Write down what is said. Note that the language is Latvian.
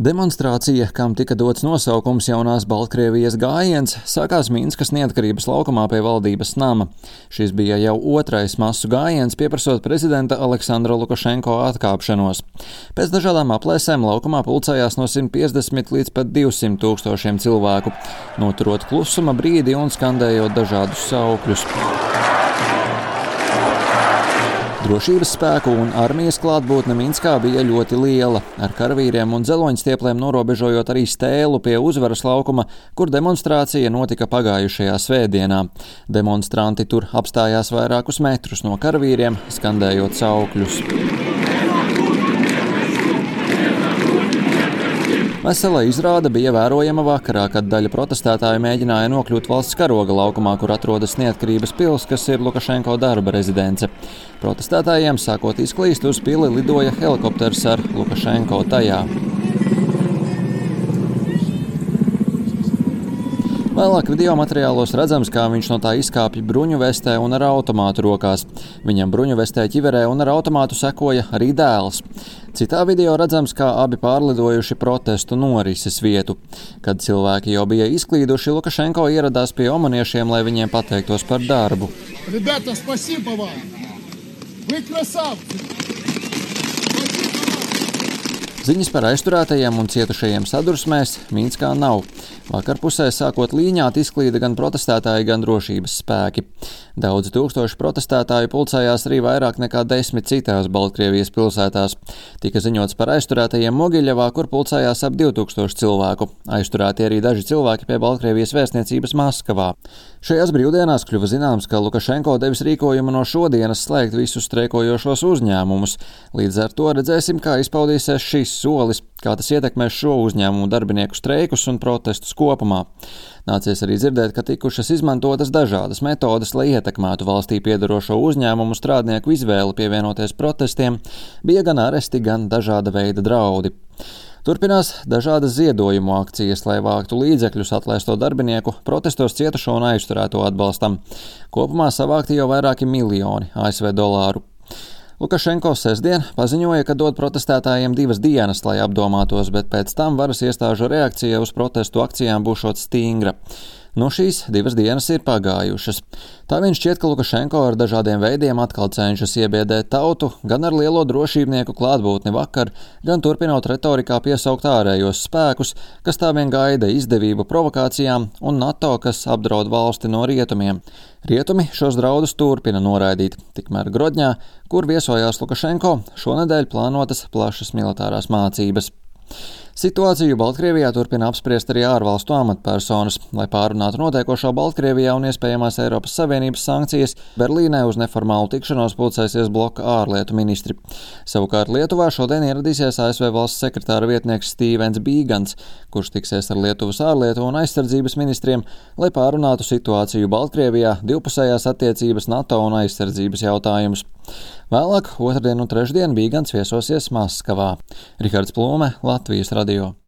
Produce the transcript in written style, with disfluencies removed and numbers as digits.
Demonstrācija, kam tika dots nosaukums Jaunās Baltkrievijas gājiens, sākās Minskas neatkarības laukumā pie valdības nama. Šis bija jau otrais masu gājiens, pieprasot prezidenta Aleksandra Lukašenko atkāpšanos. Pēc dažādām aplēsēm laukumā pulcējās no 150 līdz pat 200 tūkstošiem cilvēku, noturot klusuma brīdi un skandējot dažādus saukļus. Drošības spēku un armijas klātbūtne Minskā bija ļoti liela, ar karavīriem un dzeloņstiepliem norobežojot arī stēlu pie Uzvaras laukuma, kur demonstrācija notika pagājušajā svētdienā. Demonstranti tur apstājās vairākus metrus no karavīriem, skandējot saukļus. Vesela izrāde bija vērojama vakarā, kad daļa protestētāju mēģināja nokļūt valsts karoga laukumā, kur atrodas Neatkarības pils, kas ir Lukašenko darba rezidence. Protestētājiem sākot izklīst uz pili lidoja helikopters ar Lukašenko tajā. Vēlāk video materiālos redzams, kā viņš no tā izkāpj bruņu vestē un ar automātu rokās. Viņam bruņu vestē ķiverē un ar automātu sekoja arī dēls. Citā video redzams, kā abi pārlidojuši protestu norises vietu. Kad cilvēki jau bija izklīduši, Lukašenko ieradās pie omaniešiem, lai viņiem pateiktos par darbu. Rебята, спасибо вам! Вы красавцы! Ziņas par aizturētajiem un cietušajiem sadursmēs Minskā nav. Vakarpusē sākot līņāt izklīda gan protestētāji, gan drošības spēki. Daudzi tūkstoši protestētāju pulcējās arī vairāk nekā 10 citās Baltkrievijas pilsētās. Tika ziņots par aizturētajiem Mogiļevā, kur pulcējās ap 2000 cilvēku. Aizturēti arī daži cilvēki pie Baltkrievijas vēstniecības Maskavā. Šajās brīvdienās kļuva zināms, ka Lukašenko devis rīkojumu no šodienas slēgt visus streikojošos uzņēmumus. Līdz ar to redzēsim, kā izpaudīsies šis solis, kā tas ietekmēs šo uzņēmumu darbinieku streikus un protestus kopumā. Nācies arī dzirdēt, ka tikušas izmantotas dažādas metodes, lai ietekmētu valstī piedarošo uzņēmumu strādnieku izvēli pievienoties protestiem, bija gan aresti, gan dažāda veida draudi. Turpinās dažādas ziedojumu akcijas, lai vāktu līdzekļus atlaisto darbinieku, protestos cietušo un aizturēto atbalstam. Kopumā savākti jau vairāki miljoni ASV dolāru. Lukašenko sestdien paziņoja, ka dod protestētājiem 2 dienas, lai apdomātos, bet pēc tam varas iestāžu reakcija uz protestu akcijām būšot stingra. No šīs 2 dienas ir pagājušas. Tā vien šķiet, ka Lukašenko ar dažādiem veidiem atkal cenšas iebiedēt tautu, gan ar lielo drošībnieku klātbūtni vakar, gan turpinot retorikā piesaukt ārējos spēkus, kas tā vien gaida izdevību provokācijām, un NATO, kas apdraud valsti no rietumiem. Rietumi šos draudus turpina noraidīt, tikmēr Grodņā, kur viesojās Lukašenko, šonedēļ plānotas plašas militārās mācības. Situāciju Baltkrievijā turpina apspriest arī ārvalstu amatpersonas. Lai pārunātu notiekošo Baltkrievijā un iespējamās Eiropas Savienības sankcijas, Berlīnē uz neformālu tikšanos pulcēsies bloka ārlietu ministri. Savukārt Lietuvā šodien ieradīsies ASV valsts sekretāra vietnieks Stīvens Bīgans, kurš tiksies ar Lietuvas ārlietu un aizsardzības ministriem, lai pārunātu situāciju Baltkrievijā, divpusējās attiecības, NATO un aizsardzības jautājumus. Vēlāk, otrdien un trešdien Bīgans viesosies Maskavā. Rihards Plūme, Latvijas radio.